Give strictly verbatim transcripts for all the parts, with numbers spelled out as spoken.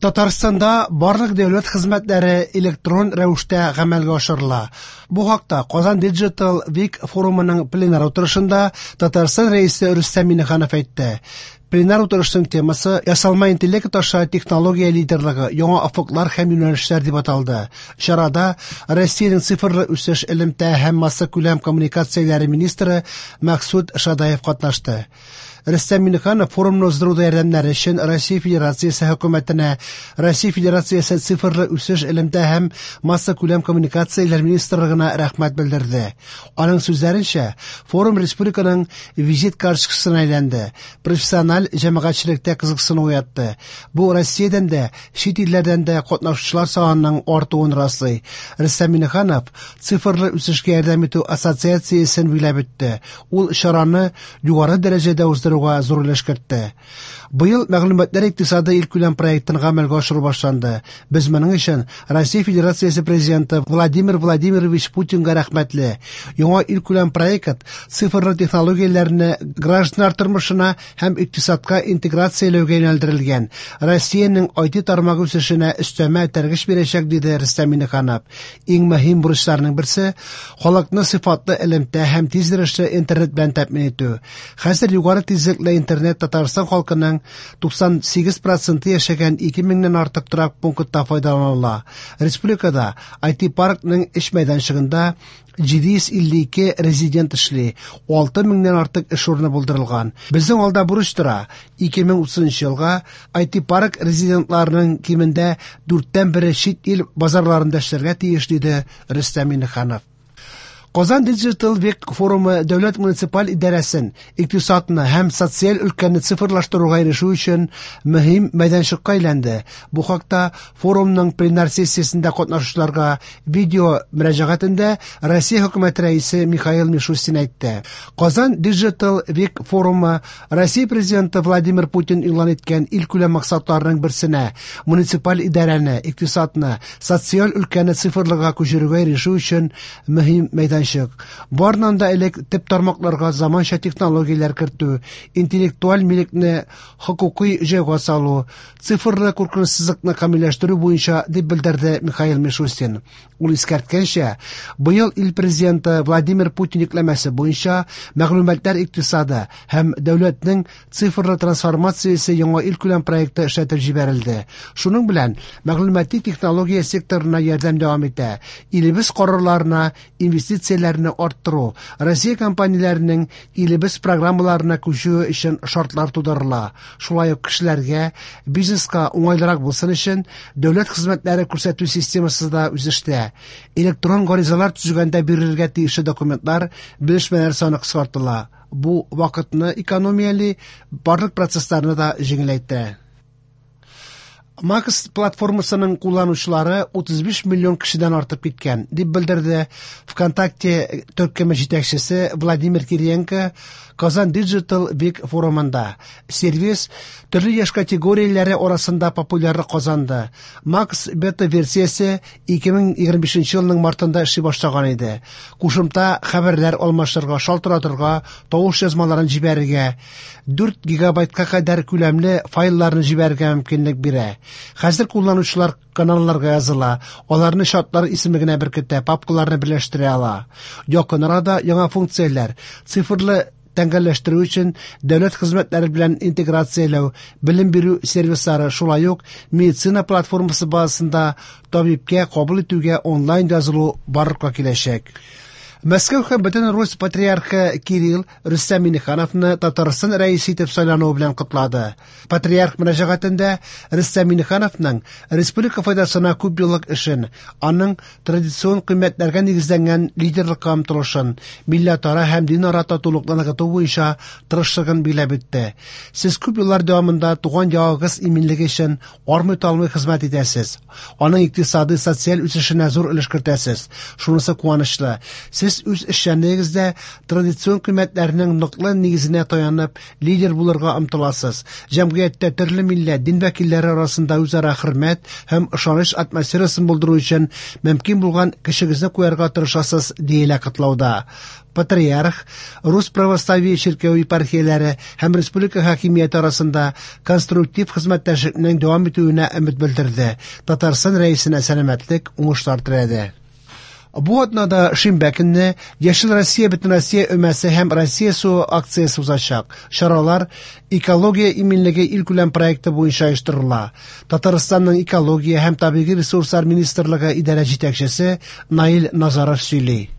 Татарстанда барлык дәүләт хезмәтләре электрон рәвештә гамәлгә ашырыла. Бу хакта Казан Digital Week форумының пленар утырышында Татарстан Рәисе Рөстәм Миңнеханов әйтте. Пленар утырышның темасы «Ясалма интеллект аша технология лидерлыгы, яңа офыклар һәм юнәлешләр» дип аталды. Чарада Россиянең цифрлы үсеш, элемтә һәм массакүләм коммуникацияләре министры Максут Шадаев катнашты. Рөстәм Миңнеханов форумны уздыруда ярдәмнәре өчен Россия Федерациясе хөкүмәтенә, Россия Федерациясе цифрлы үсеш, элемтә һәм массакүләм коммуникацияләр министрлыгына рәхмәт белдерде. Аның сүзләренчә, форум республиканың визит карточкасына әйләнде, профессиональ җәмәгатьчелектә кызыксыну уятты. Бу Россиядән дә, чит илләрдән дә катнашучылар санының артуын раслый. Рөстәм Миңнеханов цифрлы үсешкә ярдәм итү ассоциациясен биләп үтте. Ул чараны югары дәрәҗәдә уздыруга зур өлеш кертте. Быел мәгълүматлар икътисады илкүләм проектын гамәлгә ашыру башланды. Без моның өчен Россия Федерациясе президенты Владимир Владимирович Путинга рәхмәтле. Яңа илкүләм проект цифрлы технологияләрне гражданнар тормышына һәм икътисадка интеграцияләүгә юнәлдерелгән. Россиянең ай ти тармагы үсешенә өстәмә этәргеч бирәчәк, диде Рөстәм Миңнеханов. Иң мөһим бурычларның берсе халыкны сыйфатлы элемтә һәм тиз йөрешле интернет белән тәэмин итү. Хәзер югары тизлекле интернет Татарстан халкының туксан сигез проценты яшәгән ике меңнән артык торак пунктта файдаланыла. Республикада ай ти паркның эш мәйданчыгында җиде йөз илле ике резидент эшли, алты меңнән артык эш урыны булдырылган. Безнең алда бурыч тора. ике мең утызынчы елга ай ти парк резидентларының кимендә дүрттән бере чит ил базарларында эшләргә тиеш, диде Рөстәм Миңнеханов. Казан Digital Week форумы дәүләт муниципаль идарәсен, икътисадны һәм социаль өлкәне цифрлаштыруга ирешү өчен мөһим мәйданчыкка әйләнде. Бу хакта форумның пленар сессиясендә катнашучыларга видео мөрәҗәгатендә Россия хөкүмәте рәисе Михаил Мишустин әйтте. Казан Digital Week форумы Россия президенты Владимир Путин игълан иткән илкүләм максатларының берсенә муниципаль идарәне, икътисадны, социаль өлкәне цифрлыга күчерүгә ирешү өчен мөһим мәйданчык. Барыннан да элек төп тармакларга заманча технологияләр кертү, интеллектуаль милекне хокукый җайга салу, цифрлы куркынычсызлыкны камилләштерү буенча, дип белдерде Михаил Мишустин. Ул искәрткәнчә, быел ил президенты Владимир Путин йөкләмәсе буенча мәгълүматлар икътисады һәм дәүләтнең цифрлы трансформациясе яңа илкүләм проекты эшләтеп җибәрелде. Шуның белән мәгълүмати технология секторына ярдәм дәвам итә. Илебез карарларына инвестицияләрне арттыру, Россия компанияләренең илебез программаларына күчүе өчен шартлар тудырыла. Шулай ук кешеләргә, бизнеска уңайлырак булсын өчен дәүләт хезмәтләре күрсәтү системасы да үсештә. Электрон гаризалар төзегәндә бирелергә тиешле документлар, белешмәләр саны кыскартыла. Бу вакытны экономияли, барлык процессларны да җиңеләйтә. Макс платформасының кулланучылары утыз биш миллион кешедән артып киткән, дип белдерде ВКонтакте төркеме җитәкчесе Владимир Кириенко Казан Digital Week форумында. Сервис төрле яшь категорияләре арасында популярлык казанды. Макс бета-версиясе ике мең егерме бишенче елның мартында эшли башлаган иде. Кушымта хәбәрләр алмашырга, шалтыратырга, тавыш язмаларын җибәрергә, дүрт гигабайтка кадәр күләмле файлларны җибәрергә мөмкинлек бирә. Хәзер кулланучылар каналларга языла, аларны чатлар исемлегенә беркетә, папкаларны берләштерә ала. Якын арада яңа функцияләр, цифрлы тәңгәлләштерү өчен дәүләт хезмәтләре белән интеграцияләү, белем бирү сервислары, шулай ук медицина платформасы базасында табибкә кабул итүгә онлайн язылу барлыкка киләчәк. Мәскәү һәм бөтен Русь патриархы Кирилл Рөстәм Миңнехановны Татарстан рәисе итеп сайлануы белән котлады. Патриарх мөрәҗәгатендә Рөстәм Миңнехановның республика файдасына күп еллык эшен, аның традицион кыйммәтләргә нигезләнгән лидерлыкка омтылышын, милләтара һәм динара татулыкны ныгыту буенча тырышлыгын биләп үтте. Сез күп еллар дәвамында туган ягыгыз иминлеге өчен армый-талмый хезмәт итәсез. Аның икътисади, социаль үсешенә зур өлеш кертәсез. Шунысы куанычлы. Сез Сез үз эшчәнлегегездә традицион кыйммәтләрнең ныклы нигезенә таянып, лидер булырга омтыласыз. Җәмгыятьтә төрле милләт, дин вәкилләре арасында үзара хөрмәт һәм ышаныч атмосферасын булдыру өчен мөмкин булган көчегезне куярга тырышасыз, диелә котлауда. Патриарх Рус православие чиркәве епархияләре һәм республика хакимияте арасында конструктив хезмәттәшлекнең дәвам итүенә өмет белдерде. Татарстан Рәисенә сәламәтлек, уңышлар теләде. Бу атнада шимбә көнне Яшел Россия Бөтенроссия өмәсе һәм Россия суы акциясе узачак. Чаралар Экология иминлеге илкүләм проекты буенча оештырыла. Татарстанның экология һәм табигый ресурслар министрлыгы идарә җитәкчесе Наил Назаров сөйли.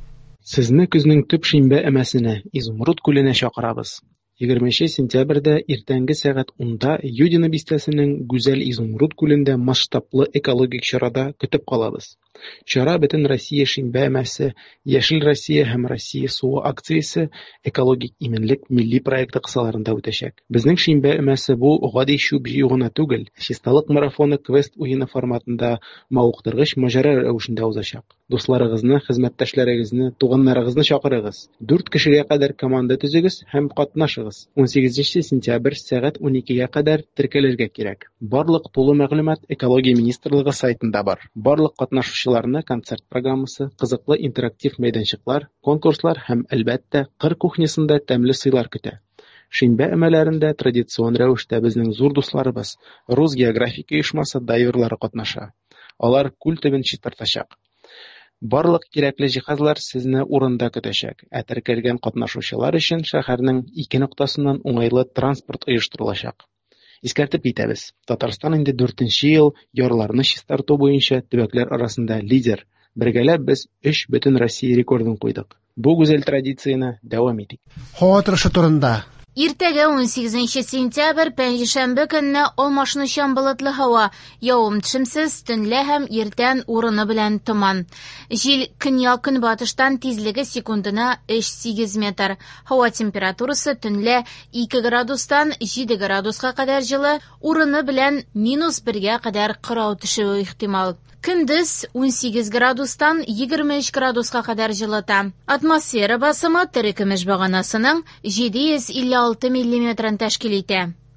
Сезне көзнең төп шимбә өмәсенә, Изумруд күленә чакырабыз. Егерменче сентябрьдә иртәнге сәгать унда Юдино бистәсенең Гүзәл Изумруд күлендә масштаблы экологик чарада көтеп калабыз. Чара Бөтен Россия шимбә өмәсе, Яшел Россия һәм Россия суы акциясе экологик иминлек милли проекты кысаларында үтәчәк. Безнең шимбә өмәсе бу гади чүп җыю гына түгел, чисталык марафоны квест уены форматында мавыктыргыч маҗара рәвешендә узачак. Дусларыгызны, хезмәттәшләрегезне, туганнарыгызны чакырыгыз. Дүрт кешегә кадәр команда төзегез һәм катнашыгыз. Унсигезенче сентябрь сәгать уникегә кадәр теркәлергә кирәк. Барлык тулы мәгълүмат Экология министрлыгы сайтында бар. Барлык катнашучыларны концерт программасы, кызыклы интерактив мәйданчыклар, конкурслар һәм, әлбәттә, кыр кухнясында тәмле сыйлар көтә. Шимбә өмәләрендә традицион рәвештә безнең зур дусларыбыз, Рус географик оешмасы дайверлары катнаша. Алар күл төбен чистартачак. Барлык кирәкле җиһазлар сезне урында көтәчәк, ә теркәлгән катнашучылар өчен шәһәрнең ике ноктасыннан уңайлы транспорт оештырылачак. Искәртеп китәбез, Татарстан инде дүртенче ел ярларны чистарту буенча төбәкләр арасында лидер. Бергәләп без өч бөтен Россия рекордын куйдык. Бу гүзәл традицияне дәвам итик. Һава торышы турында. Иртәгә унсигезенче сентябрь пәнҗешәмбе көнне алмашынучан болытлы һава, явым-төшемсез, төнлә һәм иртән урыны белән томан. Җил көньяк-көнбатыштан тизлеге секундына өч сигез метр. Һава температурасы төнлә ике градустан җиде градуска кадәр җылы, урыны белән минус бергә кадәр кырау төшүе ихтимал. Көндез унсигез градустан егерме өч градуска кадәр җылыта. Атмосфера басымы терекөмеш баганасының җиде йөз илле алты миллиметрын тәшкил итә.